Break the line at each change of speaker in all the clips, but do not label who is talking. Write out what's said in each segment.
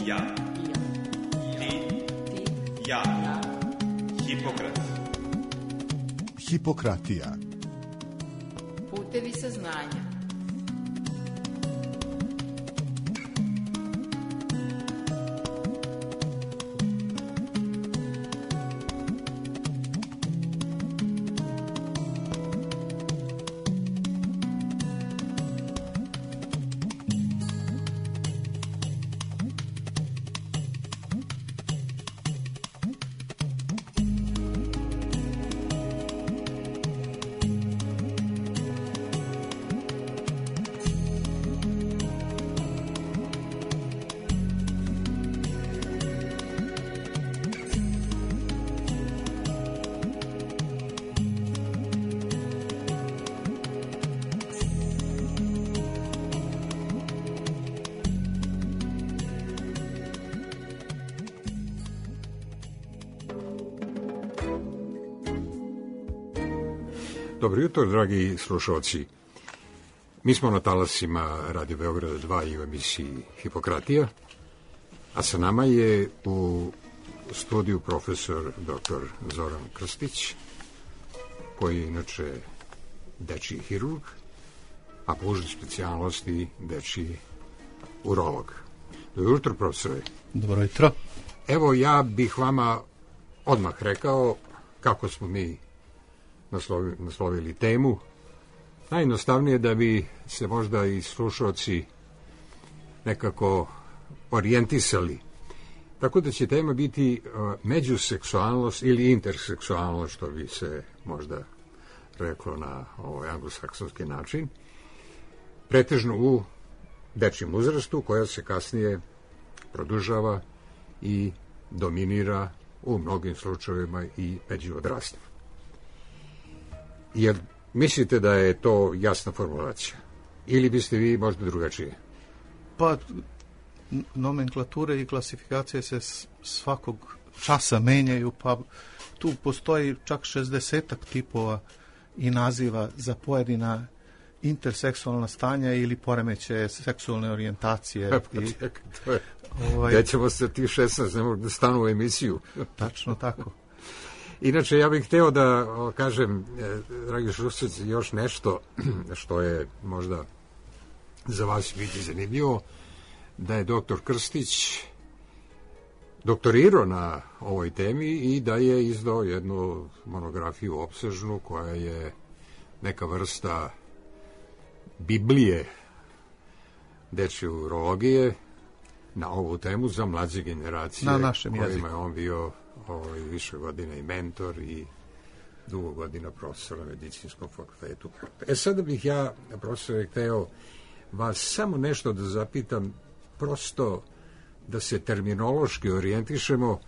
Ja. Ti. Ja. Hipokrat.
Hipokratija.
Putevi saznanja.
Dobro jutro, dragi slušalci. Mi smo na talasima Radio Beograda 2 i u emisiji Hipokratija, a sa nama je u studiju profesor dr. Zoran Krstić, koji je inače dečiji hirurg, a po užoj specijalnosti dečiji urolog. Dobro jutro, profesore.
Dobro jutro.
Evo, ja bih vama odmah rekao kako smo mi naslovili temu. Najjednostavnije da bi se možda i slušalci nekako orijentisali. Tako da će tema biti međuseksualnost ili interseksualnost, što bi se možda reklo na ovaj anglosaksonski način, pretežno u dečijem uzrastu, koja se kasnije produžava i dominira u mnogim slučajevima i među odraslima. Jer mislite da je to jasna formulacija? Ili biste vi možda drugačije?
Pa, nomenklature i klasifikacije se svakog časa menjaju, pa tu postoji čak 60-ak tipova i naziva za pojedina interseksualna stanja ili poremećaje seksualne orijentacije.
Gde ćemo se ti 16, ne mogu da stanu u emisiju.
Tačno tako.
Inače, ja bih hteo da kažem, dragi slušalci, još nešto što je možda za vas biti zanimljivo, da je doktor Krstić doktorirao na ovoj temi i da je izdao jednu monografiju opsežnu koja je neka vrsta Biblije dečje urologije na ovu temu za mlađe generacije.
Na našem jeziku.
Kojima je on bio više godina i mentor i dugo godina profesor na medicinskom fakultetu. Sada bih ja, profesore, hteo vas samo nešto da zapitam, prosto da se terminološki orijentišemo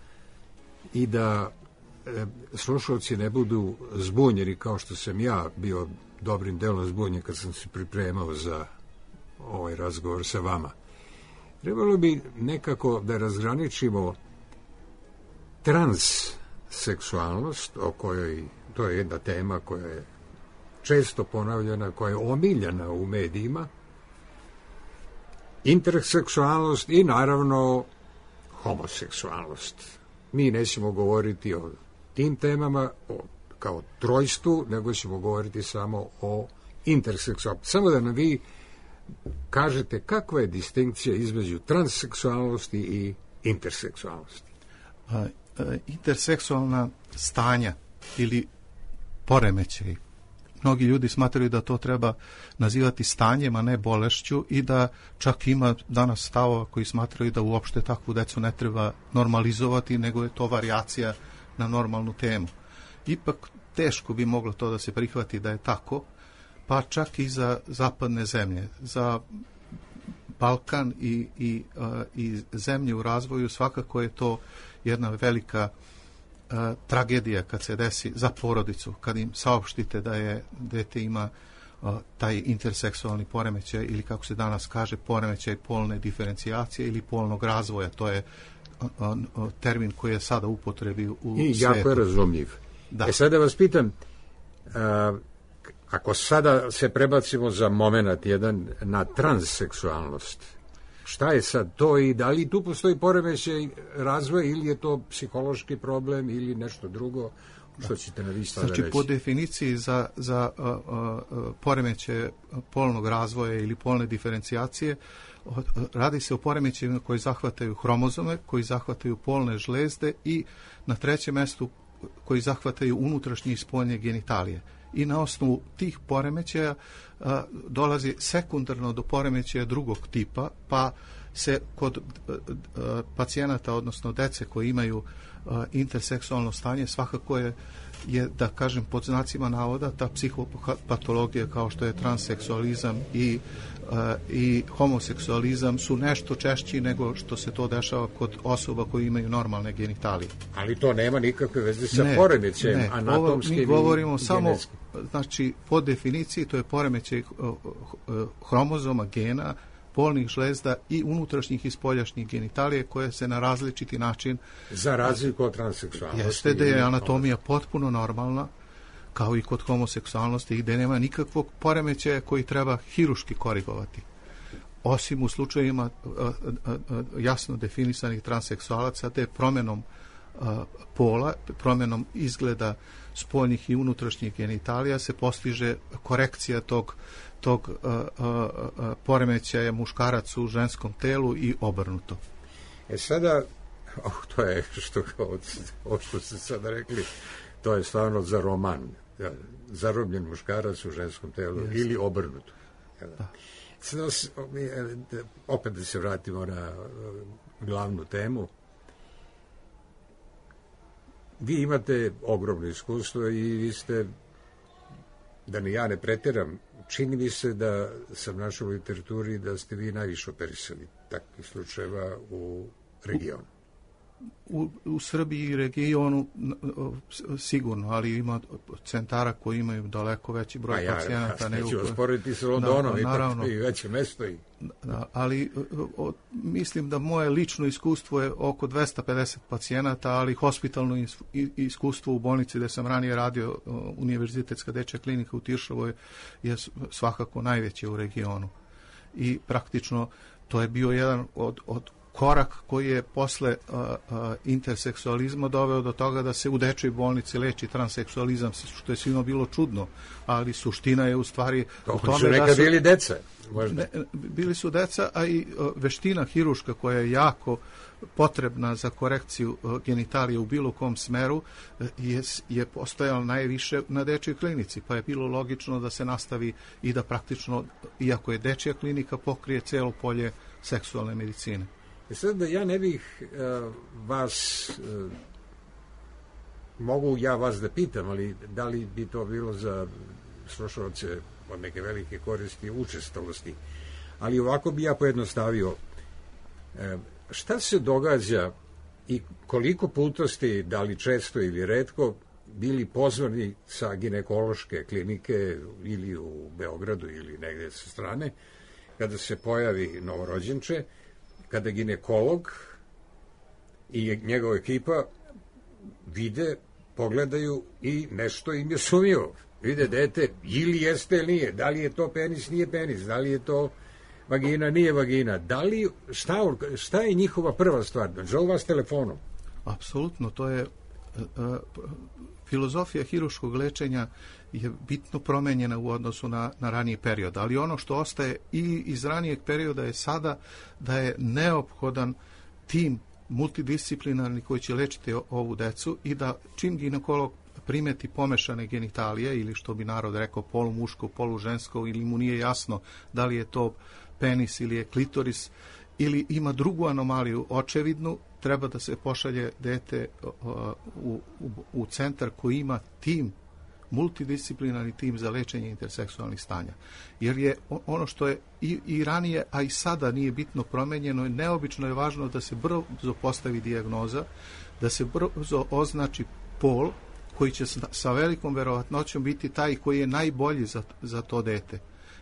i da slušalci ne budu zbunjeni, kao što sam ja bio dobrim delom zbunjen kad sam se pripremao za ovaj razgovor sa vama. Trebalo bi nekako da razgraničimo transseksualnost, o kojoj, to je jedna tema koja je često ponavljana, koja je omiljena u medijima, interseksualnost i naravno homoseksualnost. Mi nećemo govoriti o tim temama kao trojstvu, nego ćemo govoriti samo o interseksualnosti. Samo da nam vi kažete kakva je distinkcija između transseksualnosti i interseksualnosti.
Interseksualna stanja ili poremećaj. Mnogi ljudi smatraju da to treba nazivati stanjem, a ne bolešću, i da čak ima danas stavova koji smatraju da uopšte takvu decu ne treba normalizovati, nego je to varijacija na normalnu temu. Ipak teško bi moglo to da se prihvati da je tako, pa čak i za zapadne zemlje. Za Balkan i zemlje u razvoju svakako je to jedna velika tragedija kad se desi za porodicu, kad im saopštite da je dete ima taj interseksualni poremećaj ili, kako se danas kaže, poremećaj polne diferencijacije ili polnog razvoja. To je termin koji je sada u upotrebi u
i
svetu.
Jako je razumljiv. Da. Sada vas pitam, ako sada se prebacimo za moment jedan na transseksualnost, šta je sad to i da li tu postoji poremećaj razvoja ili je to psihološki problem ili nešto drugo, što ćete na vi sada reći?
Znači, po definiciji za poremećaje polnog razvoja ili polne diferencijacije, radi se o poremećajima koji zahvataju hromozome, koji zahvataju polne žlezde i na trećem mestu koji zahvataju unutrašnje i spoljne genitalije. I na osnovu tih poremećaja dolazi sekundarno do poremećaja drugog tipa, pa se kod pacijenata, odnosno dece koji imaju interseksualno stanje, svakako je, da kažem, pod znacima navoda, ta psihopatologija kao što je transseksualizam i homoseksualizam su nešto češći nego što se to dešava kod osoba koji imaju normalne genitalije.
Ali to nema nikakve veze sa poremećajem anatomskim i
mi govorimo
genetskim.
samo, znači, po definiciji to je poremećaj hromozoma, gena, polnih žlezda i unutrašnjih i spoljašnjih genitalije koje se na različiti način...
Za razliku od transseksualnosti.
Jeste da je anatomija potpuno normalna, kao i kod homoseksualnosti, gde nema nikakvog poremećaja koji treba hiruški korigovati. Osim u slučajima jasno definisanih transseksualaca, te promjenom pola, promjenom izgleda spoljnih i unutrašnjih genitalija se postiže korekcija tog poremećaja muškarac u ženskom telu i obrnuto.
Sada, to je ovo što ste sada rekli, to je stvarno za roman. Zarobljen muškarac u ženskom telu ili obrnuto. Da. Sada, opet da se vratimo na glavnu temu. Vi imate ogromno iskustvo i vi ste, da ni ja ne pretjeram, čini mi se da sam našao u literaturi da ste vi najviše operisali takvih slučajeva u regionu.
U Srbiji i regionu sigurno, ali ima centara koji imaju daleko veći broj pacijenata.
Neću vas porediti sa Londonom, ipak i veće mesto.
Ali mislim da moje lično iskustvo je oko 250 pacijenata, ali hospitalno iskustvo u bolnici gde sam ranije radio, Univerzitetska dečja klinika u Tiršovoj, je svakako najveće u regionu. I praktično to je bio jedan od korak koji je posle interseksualizma doveo do toga da se u dečjoj bolnici leči transseksualizam, što je svima bilo čudno, ali suština je u stvari u tome
su nekad bili deca.
Bili su deca, a i veština hiruška koja je jako potrebna za korekciju genitalije u bilo kom smeru je postojala najviše na dečjoj klinici, pa je bilo logično da se nastavi i da praktično, iako je dečja klinika, pokrije celo polje seksualne medicine.
Sad da ja ne bih vas, mogu ja vas da pitam, ali da li bi to bilo za slušalce od neke velike koristi učestalosti, ali ovako bi ja pojednostavio. Šta se događa i koliko puta ste, da li često ili retko, bili pozvani sa ginekološke klinike ili u Beogradu ili negde sa strane, kada se pojavi novorođenče, kada ginekolog i njegova ekipa vide, pogledaju i nešto im je sumnjivo. Vide dete, ili jeste ili nije, da li je to penis, nije penis, da li je to vagina, nije vagina, da li, šta je njihova prva stvar? Zovu vas telefonom?
Apsolutno, to je filozofija hiruškog lečenja je bitno promenjena u odnosu na raniji period, ali ono što ostaje i iz ranijeg perioda je sada da je neophodan tim multidisciplinarni koji će lečiti ovu decu i da čim ginekolog primeti pomešane genitalije ili što bi narod rekao polumuško, polužensko ili mu nije jasno da li je to penis ili je klitoris ili ima drugu anomaliju očevidnu, treba da se pošalje dete u centar koji ima tim, multidisciplinarni tim za lečenje interseksualnih stanja. Jer je ono što je i ranije, a i sada nije bitno promenjeno, neobično je važno da se brzo postavi dijagnoza, da se brzo označi pol koji će sa velikom verovatnoćom biti taj koji je najbolji za to dete.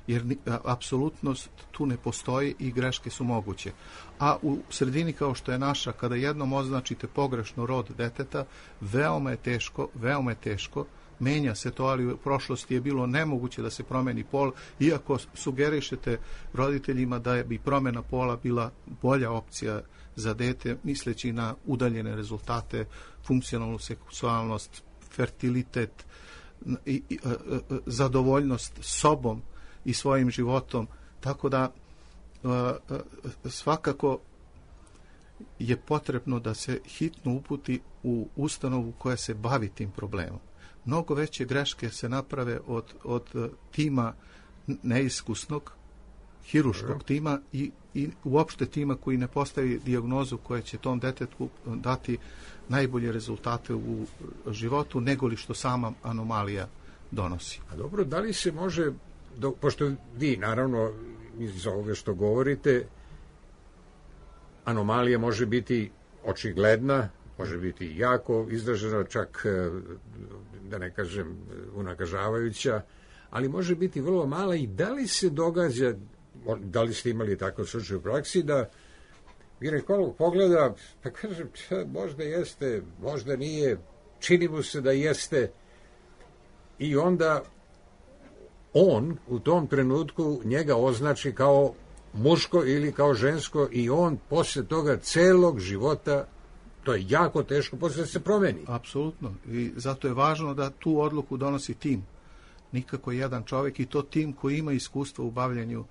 Jer apsolutno tu ne postoji i greške su moguće. A u sredini kao što je naša, kada jednom označite pogrešno rod deteta, veoma je teško menja se to, ali u prošlosti je bilo nemoguće da se promeni pol, iako sugerišete roditeljima da bi promjena pola bila bolja opcija za dete, misleći na udaljene rezultate, funkcionalnu seksualnost, fertilitet, zadovoljnost sobom i svojim životom. Tako da svakako je potrebno da se hitno uputi u ustanovu koja se bavi tim problemom. Mnogo veće greške se naprave od tima neiskusnog, hiruškog tima i uopšte tima koji ne postavi dijagnozu koja će tom detetu dati najbolje rezultate u životu nego li što sama anomalija donosi.
A dobro, da li se može, pošto vi naravno iz ovoga što govorite, anomalija može biti očigledna, može biti jako izražena, čak da ne kažem unakažavajuća, ali može biti vrlo mala. I da li se događa, da li ste imali tako slučaj u praksi, da ginekolog pogleda, pa kaže, možda jeste, možda nije, čini mu se da jeste, i onda on u tom trenutku njega označi kao muško ili kao žensko i on posle toga celog života, to je jako teško posle da se promeni.
Apsolutno. I zato je važno da tu odluku donosi tim. Nikako jedan čovjek, i to tim koji ima iskustvo u bavljanju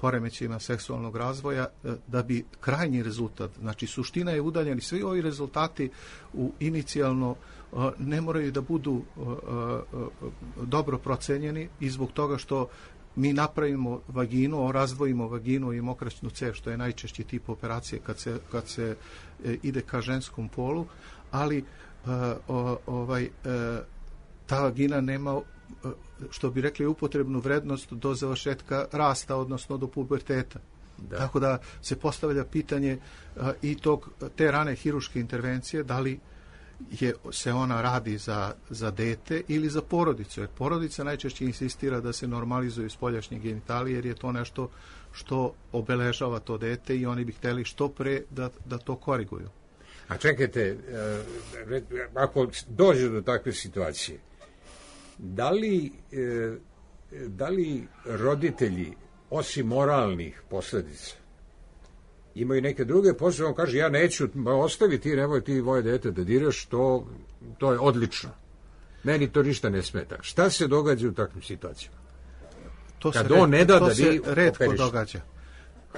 poremećajima seksualnog razvoja, da bi krajnji rezultat, znači suština je udaljeni, svi ovi rezultati inicijalno ne moraju da budu dobro procenjeni i zbog toga što mi napravimo vaginu, razdvojimo vaginu i mokraćnu cev, što je najčešći tip operacije kad se ide ka ženskom polu, ali ta vagina nema, što bi rekli, upotrebnu vrednost do završetka rasta, odnosno do puberteta. Da. Tako da se postavlja pitanje i te rane hiruške intervencije, da li se ona radi za dete ili za porodicu. Jer porodica najčešće insistira da se normalizuju spoljašnje genitalije, jer je to nešto što obeležava to dete i oni bi hteli što pre da to koriguju.
A čekajte, ako dođe do takve situacije, da li roditelji, osim moralnih posljedica, imaju neke druge posljedice? On kaže, ja neću, ostavi ti, nemoj ti moje dete da diraš, to je odlično. Meni to ništa ne smeta. Šta se događa u takvim situacijama?
To se retko događa.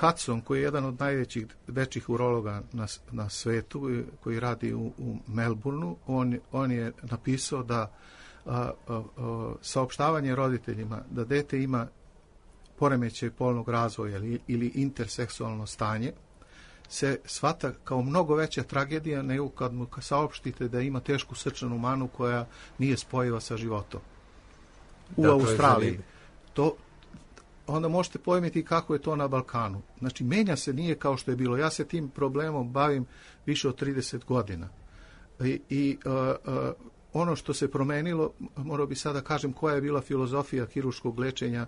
Hudson, koji je jedan od najvećih dečjih urologa na svetu, koji radi u Melbourneu, on je napisao da saopštavanje roditeljima da dete ima poremećaj polnog razvoja ili interseksualno stanje se shvata kao mnogo veća tragedija nego kad mu saopštite da ima tešku srčanu manu koja nije spojiva sa životom. U Australiji. Onda možete pojmiti kako je to na Balkanu. Znači, menja se, nije kao što je bilo. Ja se tim problemom bavim više od 30 godina. Ono što se promenilo, morao bi sada kažem koja je bila filozofija hiruškog lečenja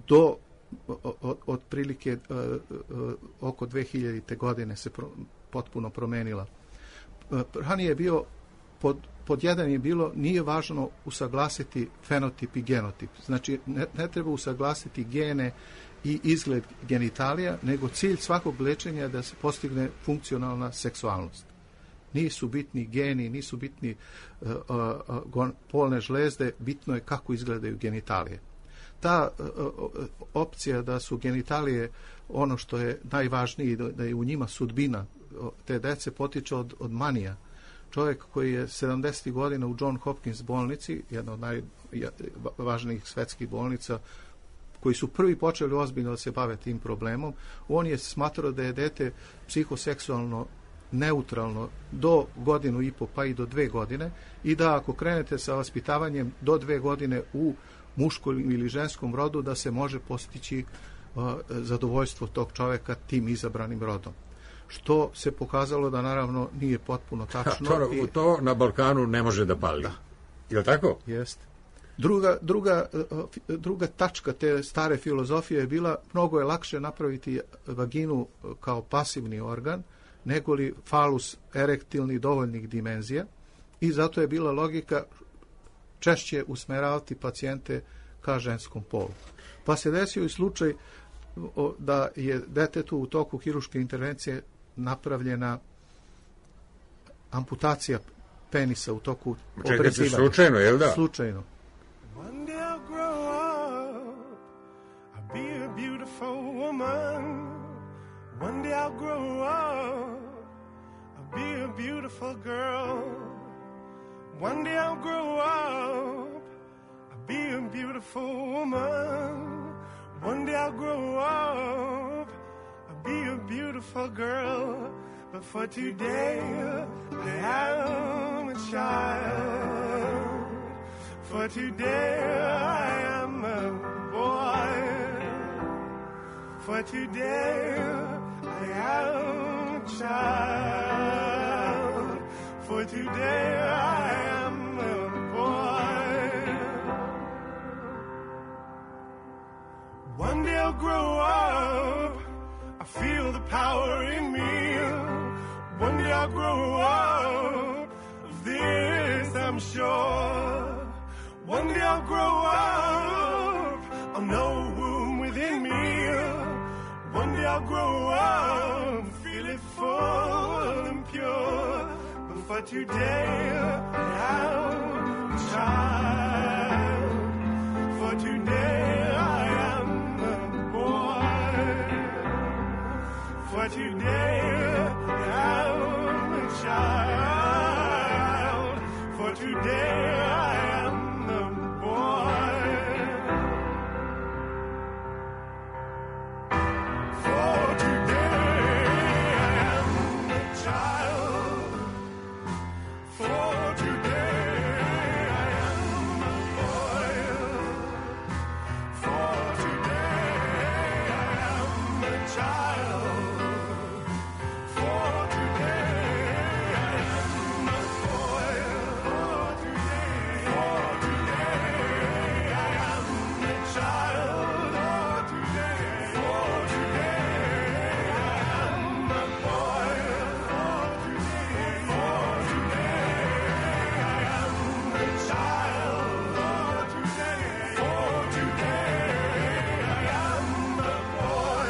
do otprilike oko 2000. godine se potpuno promenila. Ranije je bio, pod jedan je bilo, nije važno usaglasiti fenotip i genotip. Znači, ne treba usaglasiti gene i izgled genitalija, nego cilj svakog lečenja je da se postigne funkcionalna seksualnost. Nisu bitni geni, nisu bitni polne žlezde, bitno je kako izgledaju genitalije. Ta opcija da su genitalije ono što je najvažnije, da je u njima sudbina te dece, potiče od manija. Čovjek koji je 70. godina u John Hopkins bolnici, jedna od najvažnijih svetskih bolnica, koji su prvi počeli ozbiljno da se bave tim problemom, on je smatrao da je dete psihoseksualno neutralno do godinu i po, pa i do 2 godine, i da ako krenete sa vaspitavanjem do 2 godine u muškom ili ženskom rodu, da se može postići zadovoljstvo tog čovjeka tim izabranim rodom. Što se pokazalo da naravno nije potpuno tačno.
To na Balkanu ne može da pali. Da. Je li tako?
Jeste. Druga tačka te stare filozofije je bila, mnogo je lakše napraviti vaginu kao pasivni organ, nego li falus erektilni dovoljnih dimenzija, i zato je bila logika češće usmeravati pacijente ka ženskom polu. Pa se desio i slučaj da je detetu u toku hirurške intervencije napravljena amputacija penisa u toku obrezivanja.
Slučajno, jel da?
Slučajno.
One day I'll grow up, I'll be a beautiful woman. One day I'll grow up, I'll be a beautiful girl. One day I'll grow up, I'll be a beautiful woman. One day I'll grow up, I'll be a beautiful girl. But for today, I am a child. For today, I am a boy. For today, I am a child. For today, I am a boy. One day I'll grow up, I feel the power in me. One day I'll grow up, of this I'm sure. One day I'll grow up, I'll know womb within me. One day I'll grow up, feel it full and pure. But for today, I am a child. For today, I am a boy. For today, I am a child. For today, I am a boy. For today, I am a child. For today, I am a boy. For today, I am a child. For today, I am a boy. For today, I am a child. For today, I am a boy. For today, I am a child. For today, I am a boy.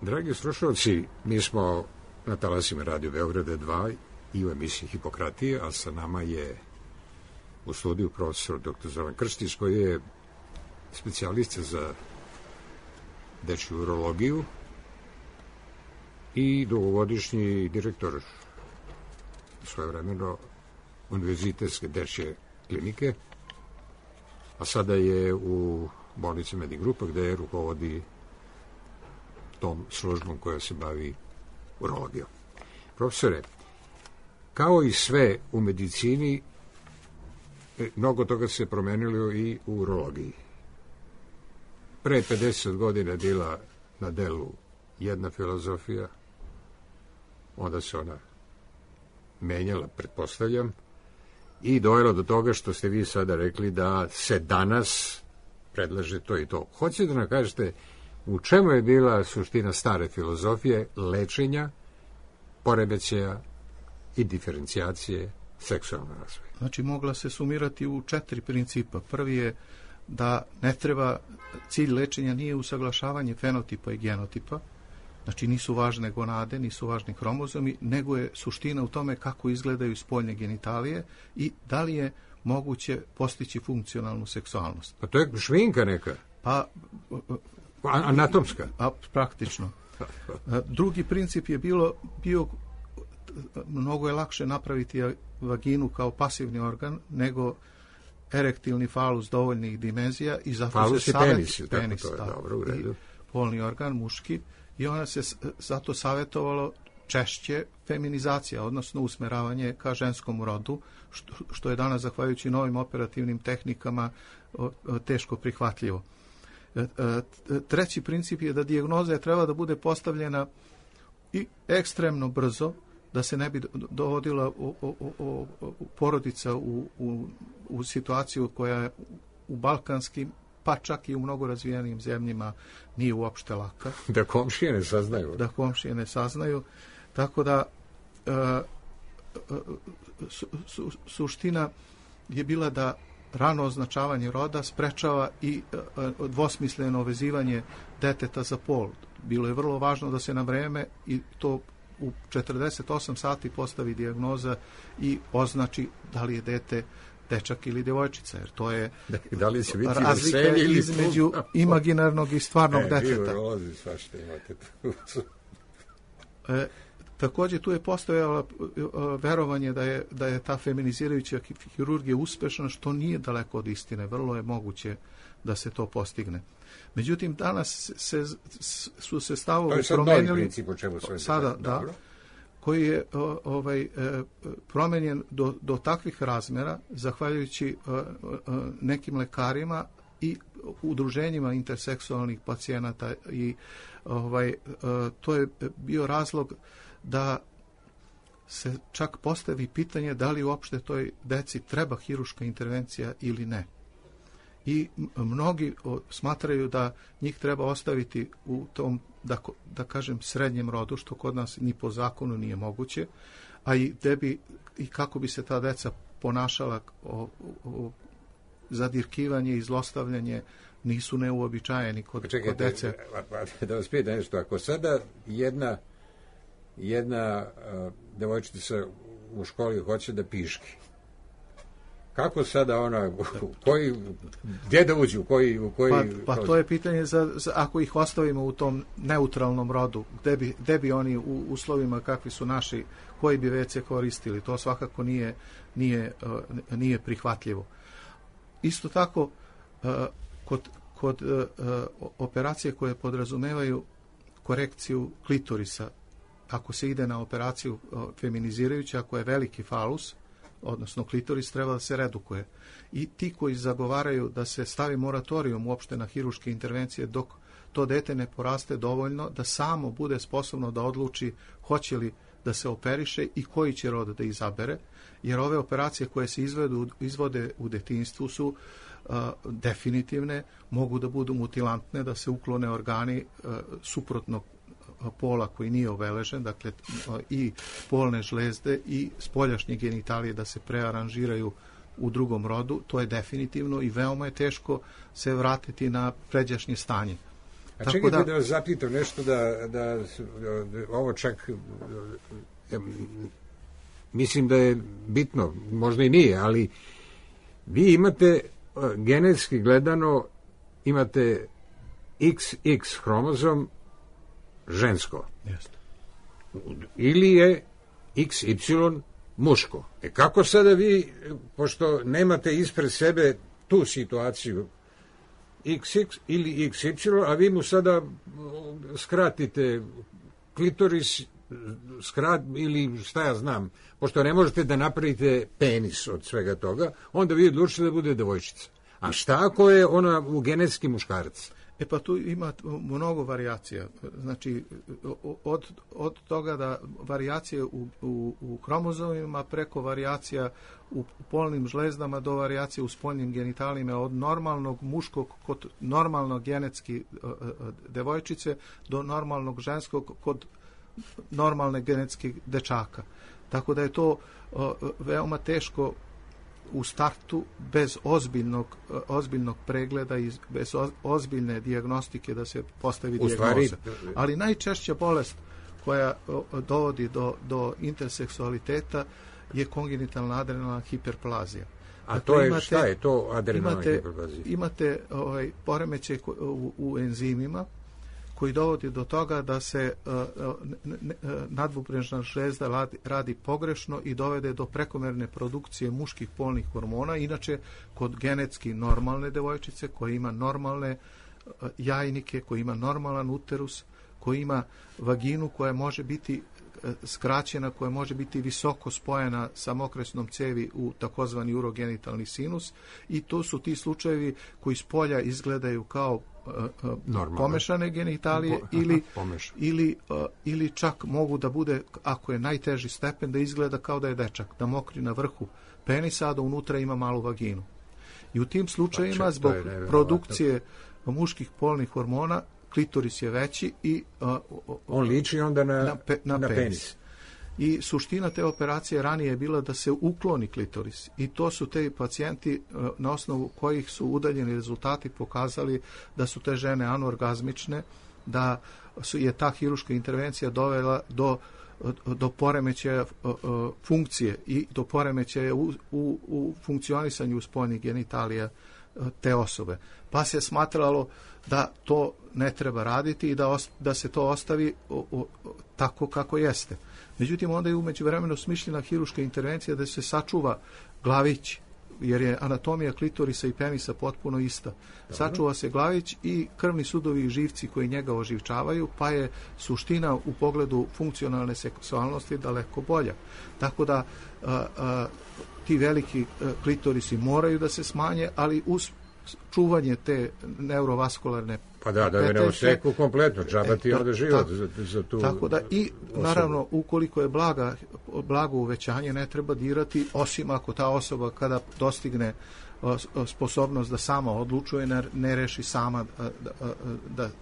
Dragi slušalci, mi smo na talasima Radio Beograda 2 i u emisiji Hipokratije, a sa nama je u studiju profesor dr. Zoran Krstić, koji je specijalista za dečju urologiju i dugogodišnji direktor svojevremeno univerzitetske dečje klinike, a sada je u bolnici Medigrupa, gde je rukovodi tom službom koja se bavi urologijom. Profesore, kao i sve u medicini, mnogo toga se promenilo i u urologiji. Pre 50 godina je bila na delu jedna filozofija, onda se ona menjala, pretpostavljam, i dojelo do toga što ste vi sada rekli da se danas predlaže to i to. Hoćete da nam kažete u čemu je bila suština stare filozofije lečenja, poremećaja i diferencijacije seksualnog razvoja?
Znači, mogla se sumirati u 4 principa. Prvi je da ne treba, cilj lečenja nije usaglašavanje fenotipa i genotipa, znači nisu važne gonade, nisu važni hromozomi, nego je suština u tome kako izgledaju spoljne genitalije i da li je moguće postići funkcionalnu seksualnost.
Pa to je šminka neka?
Pa
anatomska?
Praktično. Drugi princip je bio mnogo je lakše napraviti vaginu kao pasivni organ nego erektilni falus dovoljnih dimenzija i zato
falus
se
penis, to je dobro, u redu.
Polni organ, muški, i ona se zato savjetovalo češće feminizacija, odnosno usmeravanje ka ženskom rodu, što je danas, zahvaljujući novim operativnim tehnikama, teško prihvatljivo. Treći princip je da dijagnoza treba da bude postavljena i ekstremno brzo, da se ne bi dovodila porodica u situaciju koja je u balkanskim, pa čak i u mnogo razvijenim zemljima nije uopšte laka.
Da komšije ne saznaju.
Da komšije ne saznaju. Tako da suština je bila da rano označavanje roda sprečava i dvosmisleno vezivanje deteta za pol. Bilo je vrlo važno da se na vreme i to u 48 sati postavi dijagnoza i označi da li je dete dečak ili djevojčica, jer to je
da li će biti
razlika između imaginarnog i stvarnog deteta. Također tu je postojalo verovanje da je ta feminizirajuća hirurgija uspešna, što nije daleko od istine. Vrlo je moguće da se to postigne. Međutim, danas su se stavovi promenili sada, da, koji je promenjen do takvih razmjera, zahvaljujući nekim lekarima i udruženjima interseksualnih pacijenata, i to je bio razlog da se čak postavi pitanje da li uopšte toj deci treba hiruška intervencija ili ne. I mnogi smatraju da njih treba ostaviti u tom, da kažem, srednjem rodu, što kod nas ni po zakonu nije moguće, a i kako bi se ta deca ponašala, zadirkivanje i zlostavljanje nisu neuobičajeni kod dece.
Da vas pitam nešto, ako sada jedna devojčica u školi hoće da piški, kako sada ona, gdje da uđu, u koji
pa to je pitanje ako ih ostavimo u tom neutralnom rodu, gde bi oni u uslovima kakvi su naši, koji bi WC koristili, to svakako nije prihvatljivo. Isto tako, kod operacije koje podrazumevaju korekciju klitorisa, ako se ide na operaciju feminizirajuća, ako je veliki falus, odnosno klitoris, treba da se redukuje. I ti koji zagovaraju da se stavi moratorijum uopšte na hiruške intervencije dok to dete ne poraste dovoljno da samo bude sposobno da odluči hoće li da se operiše i koji će rod da izabere, jer ove operacije koje se izvode u detinjstvu su definitivne, mogu da budu mutilantne, da se uklone organi suprotnog pola koji nije obeležen, dakle i polne žlezde i spoljašnje genitalije da se prearanžiraju u drugom rodu, to je definitivno i veoma je teško se vratiti na pređašnje stanje.
A čekajte da vas zapitam nešto, da ovo čak mislim da je bitno, možda i nije, ali vi imate genetski gledano, imate XX hromozom žensko.
Jeste.
Ili je XY muško. Kako sada vi, pošto nemate ispred sebe tu situaciju XX ili XY, a vi mu sada skratite klitoris, ili šta ja znam, pošto ne možete da napravite penis od svega toga, onda vi odlučite da bude devojčica. A šta ako je ona u genetski muškarac?
Pa tu ima mnogo varijacija. Znači, od toga da varijacije u hromozomima preko varijacija u polnim žlezdama do varijacije u spoljnim genitalima, od normalnog muškog kod normalnog genetski devojčice do normalnog ženskog kod normalne genetskih dečaka. Tako da je to veoma teško u startu bez ozbiljnog pregleda i bez ozbiljne dijagnostike da se postavi dijagnoza. Ali najčešća bolest koja dovodi do interseksualiteta je kongenitalna adrenalna hiperplazija.
A dakle, to je, šta je to adrenalna hiperplazija?
Imate poremećaj u enzimima koji dovodi do toga da se nadbubrežna žlezda radi pogrešno i dovede do prekomerne produkcije muških polnih hormona. Inače, kod genetski normalne devojčice koja ima normalne jajnike, koja ima normalan uterus, koja ima vaginu koja može biti skraćena, koja može biti visoko spojena sa mokresnom cevi u takozvani urogenitalni sinus, i to su ti slučajevi koji s polja izgledaju kao pomešane genitalije ili čak mogu da bude, ako je najteži stepen, da izgleda kao da je dečak, da mokri na vrhu penisa, a da unutra ima malu vaginu. I u tim slučajevima zbog produkcije muških polnih hormona klitoris je veći i
on liči onda na penis.
i suština te operacije ranije je bila da se ukloni klitoris. I to su te pacijenti na osnovu kojih su udaljeni rezultati pokazali da su te žene anorgazmične, da je ta hirurška intervencija dovela do poremećaja funkcije i do poremećaja u funkcionisanju spoljnih genitalija te osobe. Pa se smatralo da to ne treba raditi i da se to ostavi tako kako jeste. Međutim, onda je umeđu vremenu smišljena hirurška intervencija da se sačuva glavić, jer je anatomija klitorisa i penisa potpuno ista. Sačuva se glavić i krvni sudovi i živci koji njega oživčavaju, pa je suština u pogledu funkcionalne seksualnosti daleko bolja. Tako da ti veliki klitorisi moraju da se smanje, ali uz čuvanje te neurovaskularne
pa da je ne oseku kompletno, džaba ti onda život za tu
tako da i naravno ukoliko je blago uvećanje ne treba dirati, osim ako ta osoba kada dostigne sposobnost da sama odlučuje ne reši sama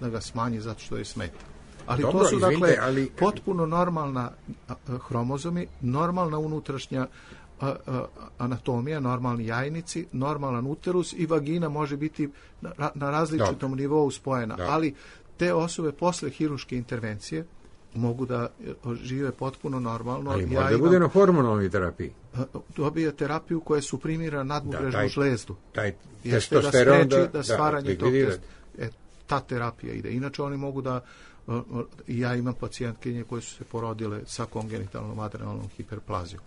da ga smanji zato što je smeta. Ali dobro, to su dakle potpuno normalna hromozomi, normalna unutrašnja anatomija, normalni jajnici, normalan uterus i vagina može biti na različitom nivou spojena, ali te osobe posle hirurške intervencije mogu da žive potpuno normalno.
Ali može da bude na hormonalnoj terapiji.
Dobije terapiju koja suprimira nadbubrežnu žlezdu.
Taj testosteron
da stvaranje tog ta terapija ide. Inače oni mogu da ja imam pacijentkinje koje su se porodile sa kongenitalnom adrenalnom hiperplazijom.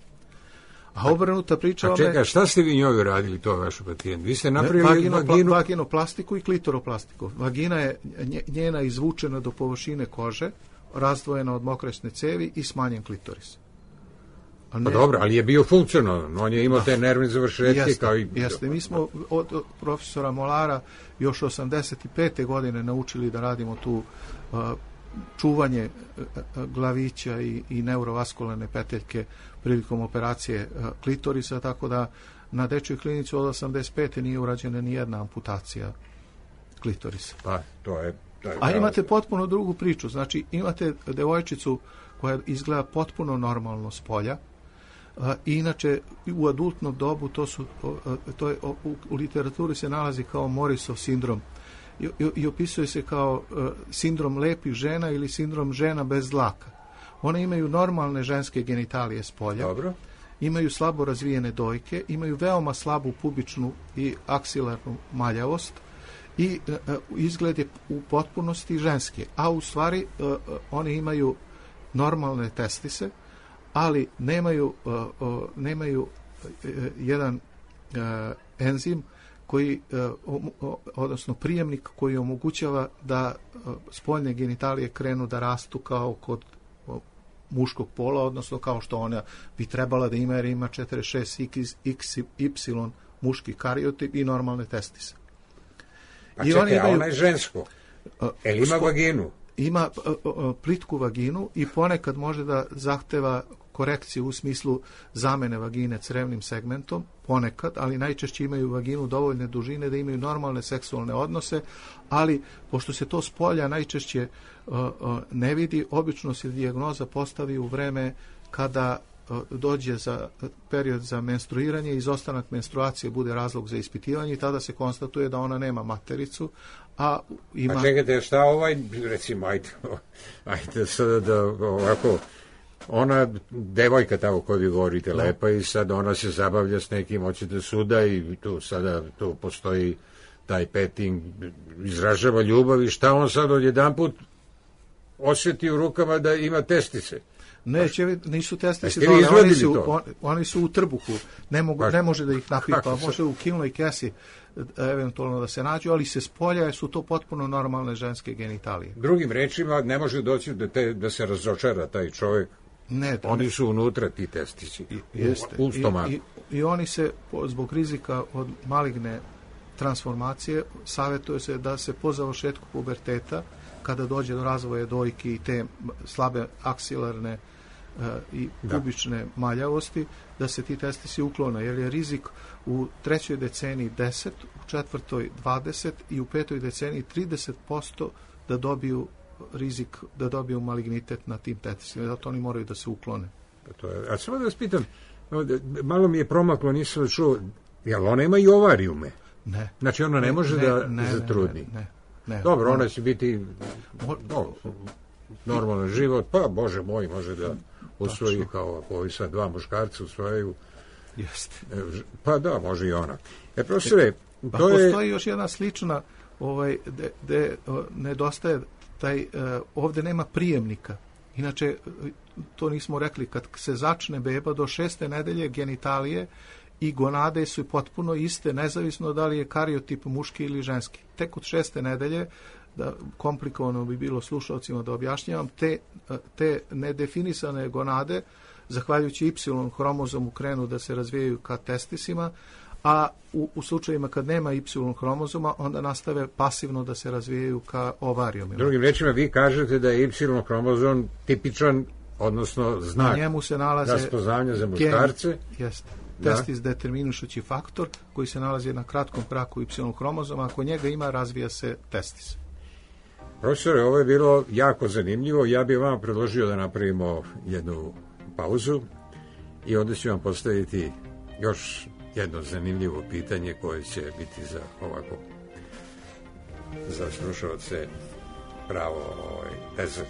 A obrnuta priča...
A čekaj, šta ste vi njoj radili, to vašu pacijent? Vi ste napravili
vaginoplastiku i klitoroplastiku. Vagina je njena izvučena do površine kože, razdvojena od mokresne cevi i smanjen klitoris.
Pa dobro, ali je bio funkcionalan. On je imao te nervne završetke kao i...
Jeste, mi smo od profesora Molara još 85. godine naučili da radimo tu čuvanje glavića i neurovaskularne peteljke prilikom operacije klitorisa, tako da na dečjoj klinici od 85. nije urađena ni jedna amputacija klitorisa.
Pa, to je
a imate potpuno drugu priču. Znači, imate devojčicu koja izgleda potpuno normalno s polja, i inače u adultnom dobu u literaturi se nalazi kao Morisov sindrom i opisuje se kao sindrom lepih žena ili sindrom žena bez dlaka. One imaju normalne ženske genitalije s polja, imaju slabo razvijene dojke, imaju veoma slabu pubičnu i aksilarnu maljavost i izgled je u potpunosti ženski, a u stvari oni imaju normalne testise, ali nemaju jedan enzim koji, odnosno prijemnik koji omogućava da spoljne genitalije krenu da rastu kao kod muškog pola, odnosno kao što ona bi trebala da ima, jer ima 46XY muški kariotip i normalne testise.
A čekaj, a ona je žensko? Ima vaginu?
Ima plitku vaginu i ponekad može da zahteva korekciju u smislu zamene vagine crevnim segmentom, ponekad, ali najčešće imaju vaginu dovoljne dužine da imaju normalne seksualne odnose, ali pošto se to s polja najčešće ne vidi, obično se dijagnoza postavi u vreme kada dođe za period za menstruiranje, izostanak menstruacije bude razlog za ispitivanje i tada se konstatuje da ona nema matericu, a ima...
Pa čekajte, šta recimo, ajde sada da ovako, ona devojka tamo koju vi govorite lepa i sad ona se zabavlja s nekim, hoće da suda i tu postoji taj petting, izražava ljubav i šta on sad odjedanput osjeti u rukama da ima testice?
Nisu testisi, oni su u trbuhu, ne može da ih napipa, može u kilnoj kesi eventualno da se nađu, ali se spolja su to potpuno normalne ženske genitalije.
Drugim rečima, ne može doći da se razočara taj čovjek. Oni su unutra, ti testici, u stomaku.
I oni se, zbog rizika od maligne transformacije, savjetuje se da se po završetku puberteta, kada dođe do razvoja dojki i te slabe aksilarne i pubične maljavosti, da se ti testisi uklone, jer je rizik u 3. deceniji 10, u 4. 20 i u 5. deceniji 30% da dobiju rizik, da dobiju malignitet na tim testisima, zato oni moraju da se uklone.
A samo da vas pitam, malo mi je promaklo, nisam čuo, jel ona ima i ovarijume?
Ne.
Znači ona ne može da zatrudni?
Ne.
Dobro, ona će biti normalan život, pa Bože moj, može da usvoji kao ako ovi sad dva muškarca usvojaju.
Jeste.
Pa da, može i ona. Profesore,
pa postoji još jedna slična gde nedostaje taj, ovde nema prijemnika. Inače, to nismo rekli, kad se začne beba do 6. nedelje genitalije i gonade su potpuno iste, nezavisno da li je kariotip muški ili ženski. Tek od 6. nedelje, da komplikovano bi bilo slušalcima da objašnjavam, te nedefinisane gonade, zahvaljujući Y hromozomu, krenu da se razvijaju ka testisima, a u slučajima kad nema Y hromozoma, onda nastave pasivno da se razvijaju ka ovarijumima.
Drugim rečima, vi kažete da je Y hromozom tipičan, odnosno znak raspoznavanja za muškarce.
Jeste. Testis determinišući faktor koji se nalazi na kratkom kraku Y hromozoma. Ako njega ima, razvija se testis.
Profesore, ovo je bilo jako zanimljivo. Ja bih vam predložio da napravimo jednu pauzu i onda ću vam postaviti još jedno zanimljivo pitanje koje će biti za slušalce pravo desert.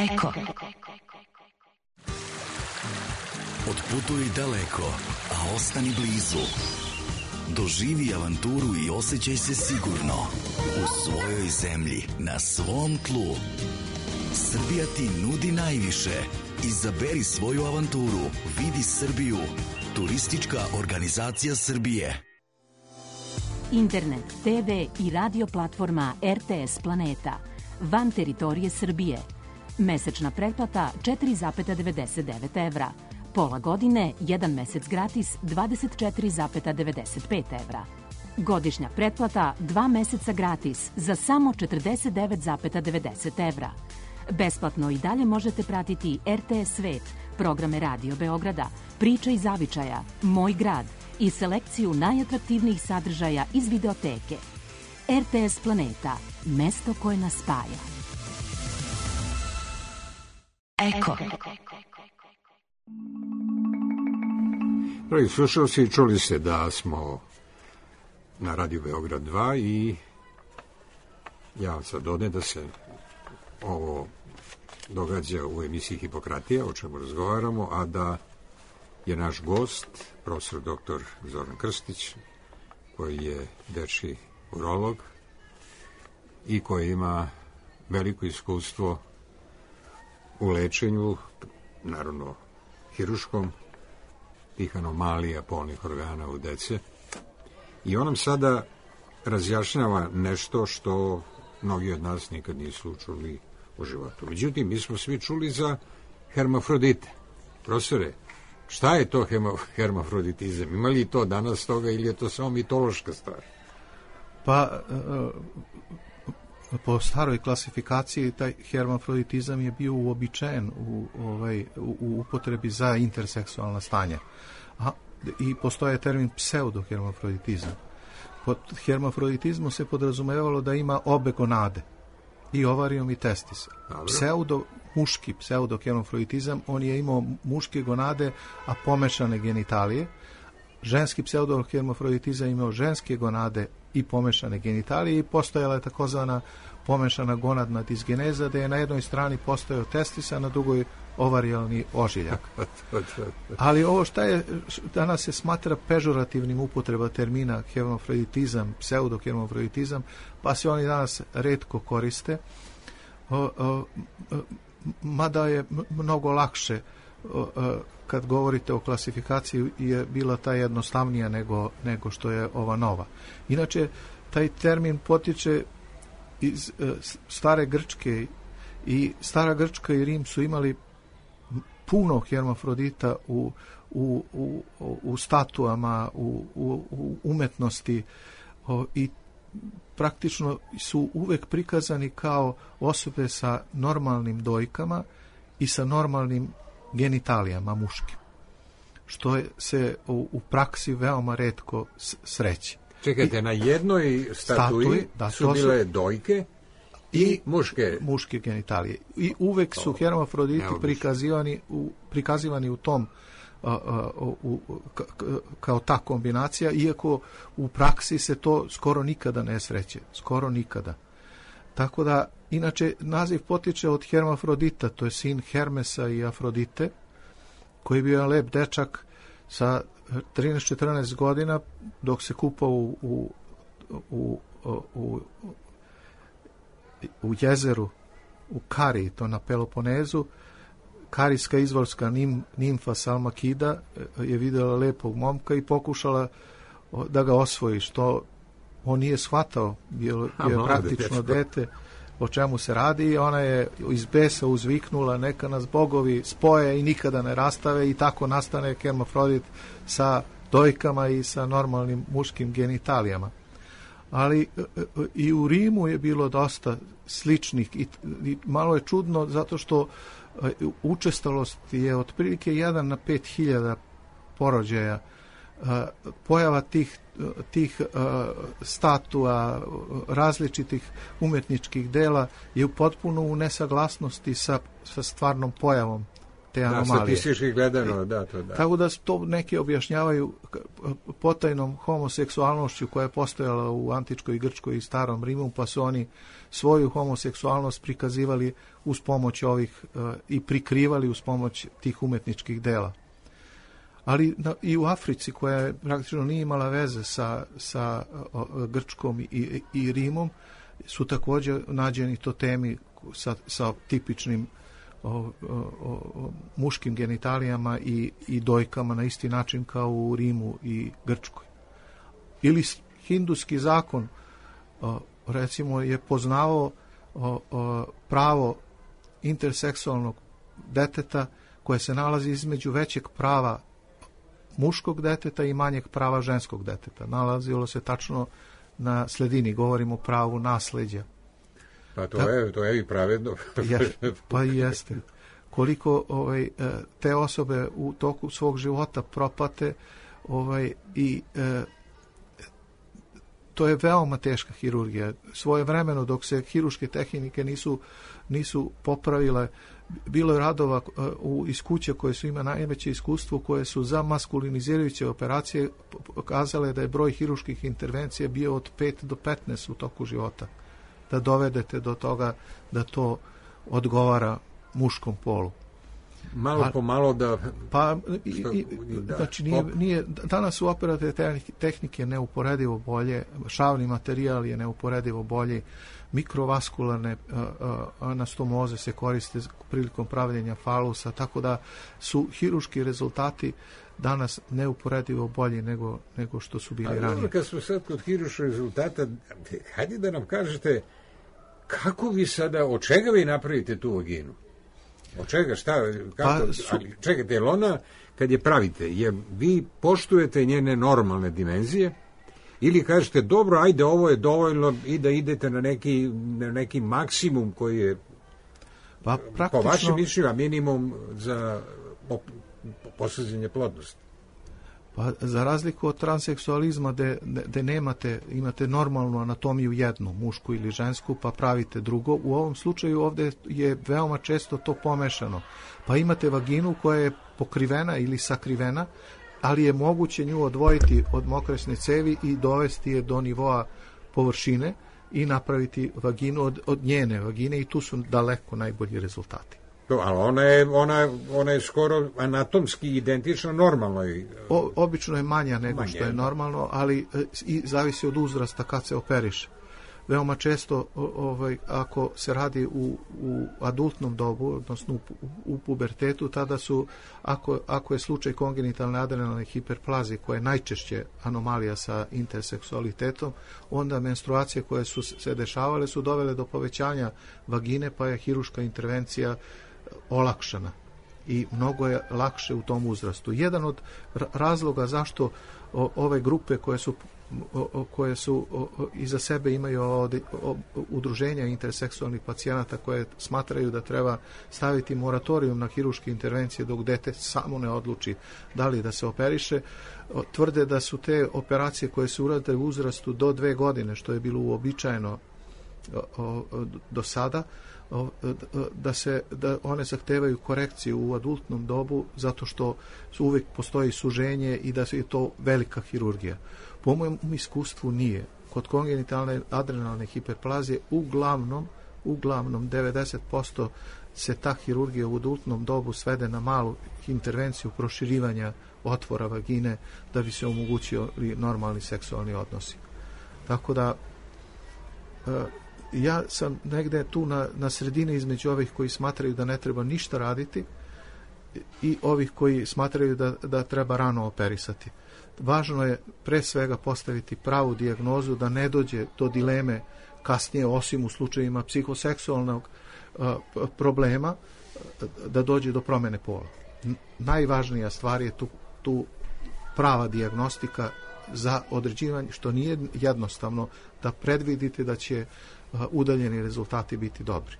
Eko.
Otputuj daleko, a ostani blizu. Doživi avanturu i osjećaj se sigurno u svojoj zemlji, na svom tlu. Srbija ti nudi najviše. Izaberi svoju avanturu. Vidi Srbiju. Turistička organizacija Srbije.
Internet, TV i radio platforma RTS Planeta. Van teritorije Srbije. Mesečna pretplata 4,99 evra. Pola godine, 1 mesec gratis 24,95 evra. Godišnja pretplata 2 meseca gratis za samo 49,90 evra. Besplatno i dalje možete pratiti RTS Svet, programe Radio Beograda, Priče iz zavičaja, Moj grad i selekciju najatraktivnijih sadržaja iz videoteke. RTS Planeta, mesto koje nas spaja.
Eko.
Dragi slušalci, čuli ste da smo na Radio Beograd 2 i ja vam sad dodajem da se ovo događa u emisiji Hipokratija, o čemu razgovaramo, a da je naš gost, profesor dr. Zoran Krstić, koji je dečji urolog i koji ima veliko iskustvo u lečenju, naravno hiruškom, tih anomalija polnih organa u dece. I on nam sada razjašnjava nešto što mnogi od nas nikad nisu čuli u životu. Međutim, mi smo svi čuli za hermafrodite. Profesore, šta je to hermafroditizam? Ima li to danas toga ili je to samo mitološka stvar?
Pa, po staroj klasifikaciji taj hermafroditizam je bio uobičajen u upotrebi za interseksualna stanja. I postoje termin pseudohermafroditizam. Pod hermafroditizmom se podrazumevalo da ima obe gonade, i ovarijum i testis. Muški pseudohermafroditizam, on je imao muške gonade, a pomešane genitalije. Ženski pseudohermafroditizam imao ženske gonade i pomešane genitalije i postojala je takozvana pomešana gonadna disgeneza, da je na jednoj strani postojao testis, a na drugoj ovarijalni ožiljak. Ali ovo šta je, danas se smatra pežorativnim upotreba termina hermafroditizam, pseudohermafroditizam, pa se oni danas retko koriste, mada je mnogo lakše kad govorite o klasifikaciji je bila ta jednostavnija nego što je ova nova. Inače, taj termin potiče iz stare Grčke, i stara Grčka i Rim su imali puno hermafrodita u statuama, u umetnosti, i praktično su uvek prikazani kao osobe sa normalnim dojkama i sa normalnim genitalijama muškim, što se u praksi veoma retko sreće.
Čekajte, na jednoj statui su bile dojke i muške
genitalije. I uvek su hermafroditi prikazivani u tom kao ta kombinacija, iako u praksi se to skoro nikada ne sreće. Skoro nikada. Tako da, inače, naziv potiče od hermafrodita, to je sin Hermesa i Afrodite, koji je bio lep dečak sa 13-14 godina, dok se kupao u jezeru, u Kari, to na Peloponezu. Karijska izvorska nimfa Salmakida je vidjela lepog momka i pokušala da ga osvoji, što on nije shvatao, bio je praktično dete, o čemu se radi, i ona je iz besa uzviknula: neka nas bogovi spoje i nikada ne rastave, i tako nastane hermafrodit sa dojkama i sa normalnim muškim genitalijama. Ali i u Rimu je bilo dosta sličnih, i malo je čudno zato što učestalost je otprilike 1 na 5.000 porođaja. Pojava tih statua, različitih umetničkih dela je potpuno u nesaglasnosti sa stvarnom pojavom te anomalije.
Statistički gledano, da, to da.
Tako da to neki objašnjavaju potajnom homoseksualnošću koja je postojala u antičkoj Grčkoj i starom Rimu, pa su oni svoju homoseksualnost prikazivali uz pomoć ovih i prikrivali uz pomoć tih umetničkih dela. Ali i u Africi, koja praktično nije imala veze sa Grčkom i Rimom, su također nađeni totemi sa tipičnim muškim genitalijama i dojkama na isti način kao u Rimu i Grčkoj. Ili hinduski zakon recimo je poznavao pravo interseksualnog deteta koje se nalazi između većeg prava muškog deteta i manjeg prava ženskog deteta. Nalazilo se tačno na sredini, govorimo o pravu nasleđa.
Pa to je i pravedno.
Pa i jeste. Koliko te osobe u toku svog života propate i to je veoma teška hirurgija. Svojevremeno, dok se hiruške tehnike nisu popravile, bilo je radova iz kuće koje su ima najveće iskustvo, koje su za maskulinizirajuće operacije pokazale da je broj hiruških intervencija bio od 5 do 15 u toku života. Da dovedete do toga da to odgovara muškom polu.
Malo po malo da...
Znači, danas su operativne tehnike neuporedivo bolje, šavni materijal je neuporedivo bolji, mikrovaskularne anastomoze se koriste prilikom pravljenja falusa, tako da su hiruški rezultati danas neuporedivo bolji nego što su bili ranije.
Ali kad smo sad kod hiruških rezultata, hajde da nam kažete kako vi sada, od čega vi napravite tu vaginu? Od čega, šta, kako, ali čekajte, jel ona, kad je pravite, vi poštujete njene normalne dimenzije ili kažete, dobro, ajde, ovo je dovoljno i da idete na neki maksimum koji je, po vašem mišljenju, minimum za postizanje plodnosti?
Pa za razliku od transseksualizma gde imate normalnu anatomiju jednu, mušku ili žensku, pa pravite drugo, u ovom slučaju ovdje je veoma često to pomešano. Pa imate vaginu koja je pokrivena ili sakrivena, ali je moguće nju odvojiti od mokresne cevi i dovesti je do nivoa površine i napraviti vaginu od njene vagine i tu su daleko najbolji rezultati.
Ali ona je skoro anatomski identična normalnoj.
Obično je manja nego što je normalno, ali i zavisi od uzrasta kad se operiše. Veoma često, ako se radi u adultnom dobu, odnosno u pubertetu, tada su, ako je slučaj kongenitalne adrenalne hiperplazije, koja je najčešće anomalija sa interseksualitetom, onda menstruacije koje su se dešavale su dovele do povećanja vagine, pa je hiruška intervencija olakšana i mnogo je lakše u tom uzrastu. Jedan od razloga zašto ove grupe koje su iza sebe imaju udruženja interseksualnih pacijenata koje smatraju da treba staviti moratorijum na hiruške intervencije dok dete samo ne odluči da li da se operiše, tvrde da su te operacije koje se urade u uzrastu do 2 godine, što je bilo uobičajeno do sada, da one zahtevaju korekciju u adultnom dobu zato što uvijek postoji suženje i da je to velika hirurgija. Po mojem iskustvu nije. Kod kongenitalne adrenalne hiperplazije uglavnom 90% se ta hirurgija u adultnom dobu svede na malu intervenciju proširivanja otvora vagine da bi se omogućili normalni seksualni odnosi. Tako da ja sam negde tu na sredini između ovih koji smatraju da ne treba ništa raditi i ovih koji smatraju da treba rano operisati. Važno je pre svega postaviti pravu dijagnozu da ne dođe do dileme kasnije, osim u slučajevima psihoseksualnog problema, da dođe do promjene pola. Najvažnija stvar je tu prava dijagnostika za određivanje, što nije jednostavno da predvidite da će udaljeni rezultati biti dobri.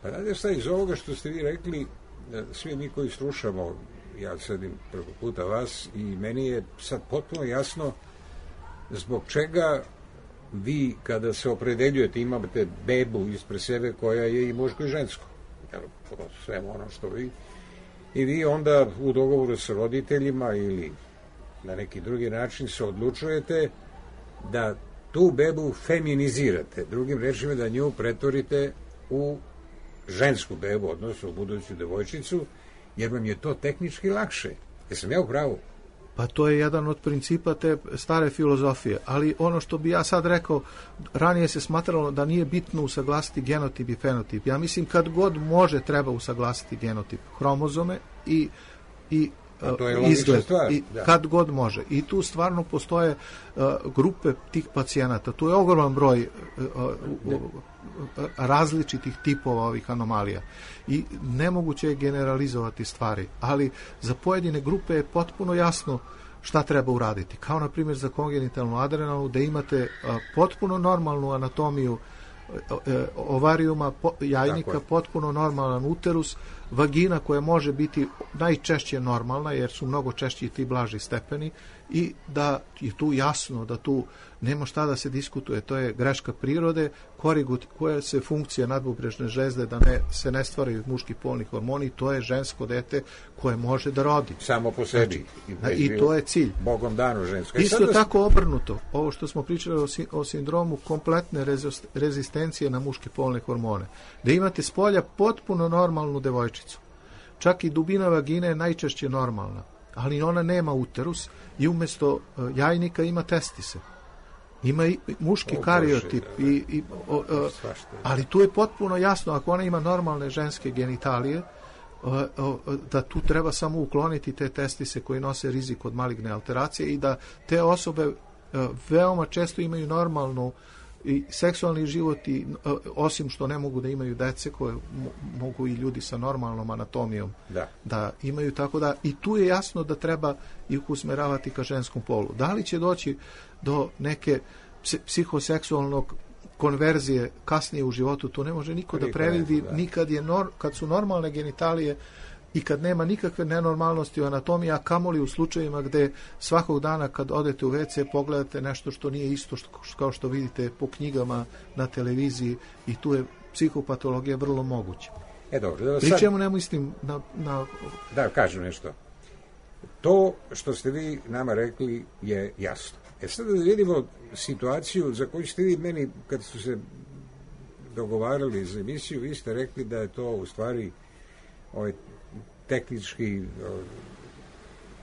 Pa znate šta, iz ovoga što ste vi rekli, svi mi koji slušamo, ja sedim preko puta vas i meni je sad potpuno jasno zbog čega vi kada se opredeljujete imate bebu ispred sebe koja je i muško i žensko. Sve ono što vi I vi onda u dogovoru sa roditeljima ili na neki drugi način se odlučujete da tu bebu feminizirate, drugim rečima da nju pretvorite u žensku bebu, odnosno u buduću devojčicu, jer vam je to tehnički lakše. Jesam ja u pravu?
Pa to je jedan od principa te stare filozofije, ali ono što bi ja sad rekao, ranije se smatralo da nije bitno usaglasiti genotip i fenotip. Ja mislim kad god može treba usaglasiti genotip, hromozome i izgled,
stvar,
i kad god može. I tu stvarno postoje grupe tih pacijenata. Tu je ogroman broj različitih tipova ovih anomalija. I nemoguće je generalizovati stvari, ali za pojedine grupe je potpuno jasno šta treba uraditi. Kao na primjer za kongenitalnu adrenalnu, da imate potpuno normalnu anatomiju ovarijuma, jajnika, potpuno normalan uterus, vagina koja može biti najčešće normalna, jer su mnogo češći ti blaži stepeni, i da je tu jasno da tu nema šta da se diskutuje, to je greška prirode, koja se funkcija nadbubrežne žezde da se ne stvaraju muški polni hormoni, to je žensko dete koje može da rodi.
Samo po sebi.
Znači, i to je cilj.
Bogom dano žensko.
Isto tako obrnuto, ovo što smo pričali o sindromu kompletne rezistencije na muške polne hormone, da imate s polja potpuno normalnu devojčicu. Čak i dubina vagine je najčešće normalna, ali ona nema uterus i umjesto jajnika ima testise. Ima i muški kariotip, ali tu je potpuno jasno, ako ona ima normalne ženske genitalije, da tu treba samo ukloniti te testise koji nose rizik od maligne alteracije i da te osobe veoma često imaju normalnu i seksualni život, i osim što ne mogu da imaju dece koje mogu i ljudi sa normalnom anatomijom da imaju, tako da i tu je jasno da treba ih usmeravati ka ženskom polu. Da li će doći do neke psihoseksualnog konverzije kasnije u životu, to ne može niko da previdi, nikad kad su normalne genitalije i kad nema nikakve nenormalnosti u anatomiji, a kamoli u slučajevima gde svakog dana kad odete u WC pogledate nešto što nije isto kao što vidite po knjigama na televiziji, i tu je psihopatologija vrlo moguća.
Dobro,
pri čemu ne mislim na...
Da, kažem nešto. To što ste vi nama rekli je jasno. Sada da vidimo situaciju za koju ste vi meni, kad su se dogovarali za emisiju, vi ste rekli da je to u stvari tehnički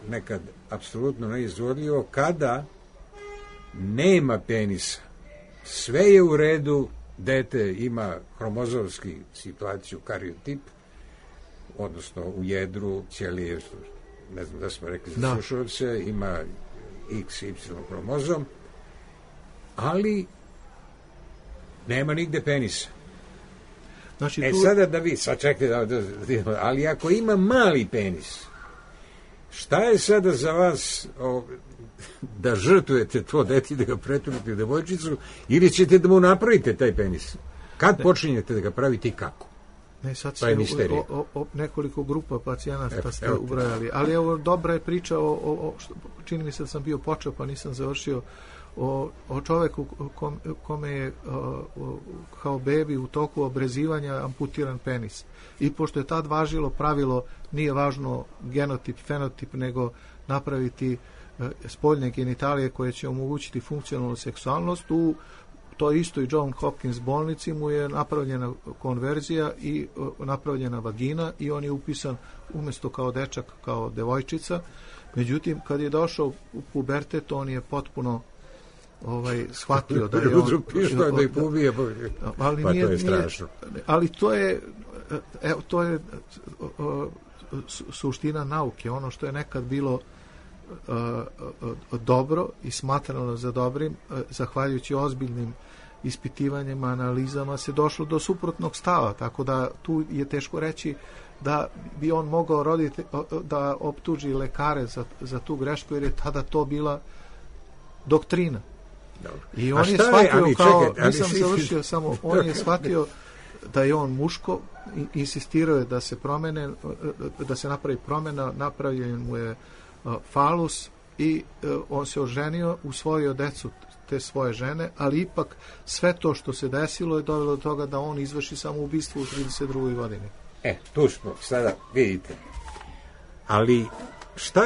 nekad apsolutno neizvodljivo, kada nema penisa. Sve je u redu, dete ima hromozomski situaciju, kariotip, odnosno u jedru ćelije, ne znam da smo rekli za slušalce, ima XY hromozom, ali nema nigde penisa.
Znači,
sada da vi, sad čekajte, ali ako ima mali penis, šta je sada za vas da žrtvujete to dete, da ga pretvorite u devojčicu, ili ćete da mu napravite taj penis? Kad počinjete da ga pravite i kako?
Ne, sad ste nekoliko grupa pacijenata ste ubrajali, ali evo dobra je priča čini mi se da sam bio počeo pa nisam završio, o čoveku kome je kao bebi u toku obrezivanja amputiran penis. I pošto je tad važilo pravilo, nije važno genotip, fenotip, nego napraviti spoljne genitalije koje će omogućiti funkcionalnu seksualnost, u to isto i John Hopkins bolnici mu je napravljena konverzija i napravljena vagina i on je upisan umjesto kao dečak, kao devojčica. Međutim, kad je došao u pubertet, on je potpuno shvatio da je on...
da ih pobije, pa to je strašno.
Ali to je suština nauke. Ono što je nekad bilo dobro i smatrano za dobrim, zahvaljujući ozbiljnim ispitivanjima, analizama, se došlo do suprotnog stava, tako da tu je teško reći da bi on mogao da optuži lekare za tu grešku, jer je tada to bila doktrina. Dobro. I on je shvatio nisam završio samo, on je shvatio da je on muško, insistirao je da se promene, da se napravi promjena, napravljen mu je falus i on se oženio, usvojio decu te svoje žene, ali ipak sve to što se desilo je dovelo do toga da on izvrši samoubistvo u 32. godini.
Tu smo, sada vidite. Ali šta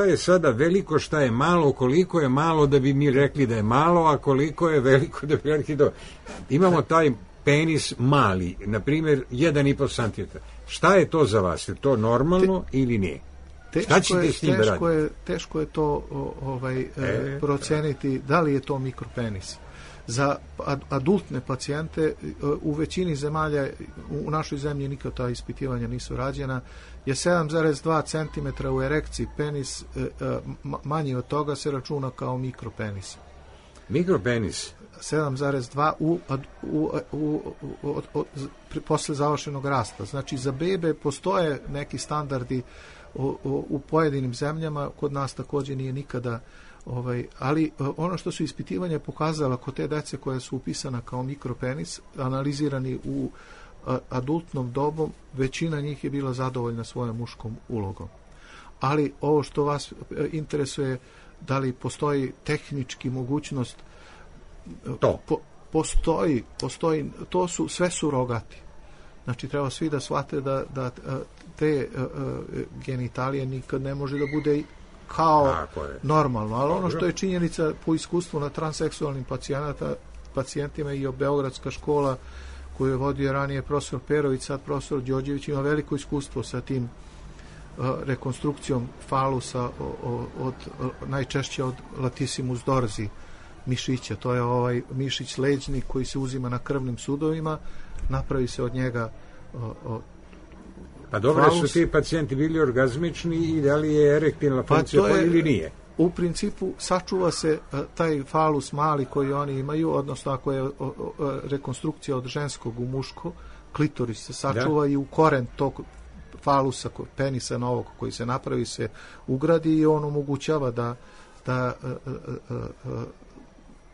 je sada veliko, šta je malo, koliko je malo da bi mi rekli da je malo, a koliko je veliko da bi rekli da... Imamo taj penis mali, na primjer 1,5 cm. Šta je to za vas? Je to normalno ili nije? Šta ćete s tim da radite?
Teško je to proceniti da li je to mikropenis. Za adultne pacijente u većini zemalja, u našoj zemlji nikad ta ispitivanja nisu rađena, je 7,2 cm u erekciji penis, manji od toga se računa kao mikropenis.
Mikropenis?
7,2 posle završenog rasta. Znači za bebe postoje neki standardi u pojedinim zemljama, kod nas također nije nikada, ali ono što su ispitivanja pokazala kod te dece koje su upisana kao mikropenis, analizirani u adultnom dobu, većina njih je bila zadovoljna svojom muškom ulogom. Ali ovo što vas interesuje, da li postoji tehnički mogućnost, postoji, to su sve surogati. Znači treba svi da shvate da te genitalije nikad ne može da bude kao normalno, ali ono što je činjenica po iskustvu na transseksualnim pacijentima i Beogradska škola koju je vodio ranije profesor Perović, sad profesor Đorđević, ima veliko iskustvo sa tim rekonstrukcijom falusa najčešće od latissimus dorsi mišića. To je ovaj mišić leđni koji se uzima na krvnim sudovima, napravi se od njega
pa dobro, su ti pacijenti bili orgazmični i da li je erektilna funkcija ili nije?
U principu sačuva se taj falus mali koji oni imaju, odnosno ako je rekonstrukcija od ženskog u muško, klitoris se sačuva i u koren tog falusa, penisa novog koji se napravi se ugradi i on omogućava da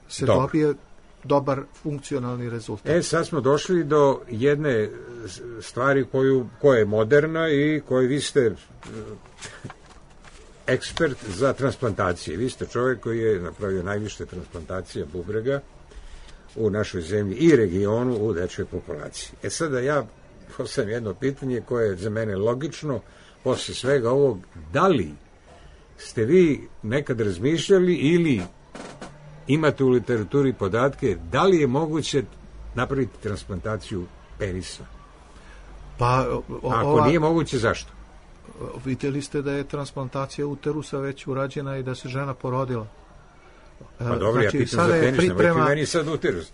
se dobije dobar funkcionalni rezultat.
Sad smo došli do jedne stvari koja je moderna i koju vi ste ekspert za transplantacije. Vi ste čovjek koji je napravio najviše transplantacija bubrega u našoj zemlji i regionu u dečjoj populaciji. Sada ja postavim jedno pitanje koje je za mene logično posle svega ovog. Da li ste vi nekad razmišljali ili imate u literaturi podatke da li je moguće napraviti transplantaciju penisa? Ako nije moguće, zašto?
Vidjeli ste da je transplantacija uterusa već urađena i da se žena porodila.
Pa dobro, znači, ja pitam za penis, nemojte meni sad uterus.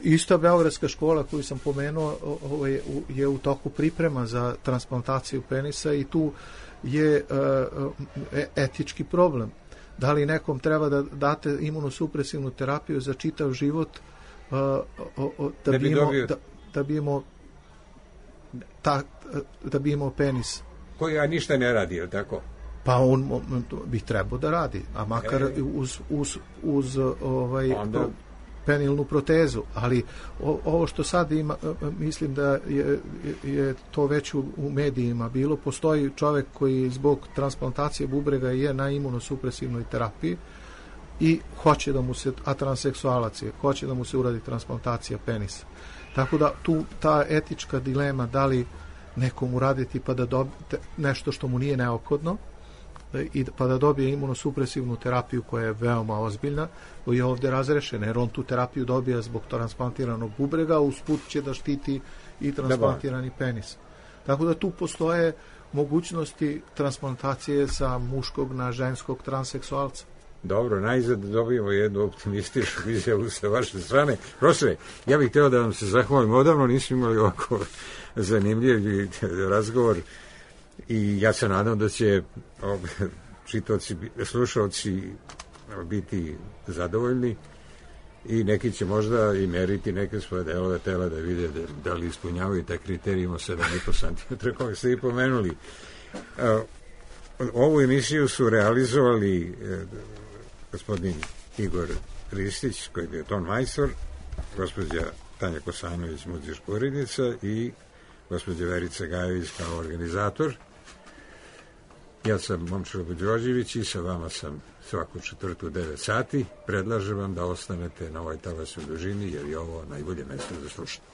Ista Beogradska škola koju sam pomenuo je u toku priprema za transplantaciju penisa i tu je etički problem. Da li nekom treba da date imunosupresivnu terapiju za čitav život da bi imao penis?
Koji ništa ne radi, je tako?
Pa on bi trebao da radi, a makar uz penilnu protezu, ali ovo što sad ima, mislim da je to već u medijima bilo, postoji čovjek koji zbog transplantacije bubrega je na imunosupresivnoj terapiji i hoće da mu se, a transseksualac je, hoće da mu se uradi transplantacija penisa. Tako da tu ta etička dilema da li nekom uraditi pa da dobije nešto što mu nije neophodno, pa da dobije imunosupresivnu terapiju koja je veoma ozbiljna, je ovdje razrešena, jer on tu terapiju dobija zbog transplantiranog bubrega, usput će da štiti i transplantirani penis. Tako da tu postoje mogućnosti transplantacije sa muškog na ženskog transseksualca.
Dobro, najzad dobijemo jednu optimističnu izjavu sa vaše strane. Profesore, ja bih htio da vam se zahvalim. Odavno nismo imali ovako zanimljiv razgovor i ja se nadam da će slušalci biti zadovoljni i neki će možda i meriti neke svoje delove tela da vide da li ispunjavaju taj kriterij. Imamo 7,5 cm koje ste i pomenuli. Ovu emisiju su realizovali gospodin Igor Ristić, koji je bio ton majstor, gospođa Tanja Kosanović, muzička urednica, i gospođa Verica Gajević kao organizator. Ja sam Momčilo Đorđević i sa vama sam svaku četvrtu u 9 sati. Predlažem vam da ostanete na ovoj talasnoj dužini, jer je ovo najbolje mesto za slušanje.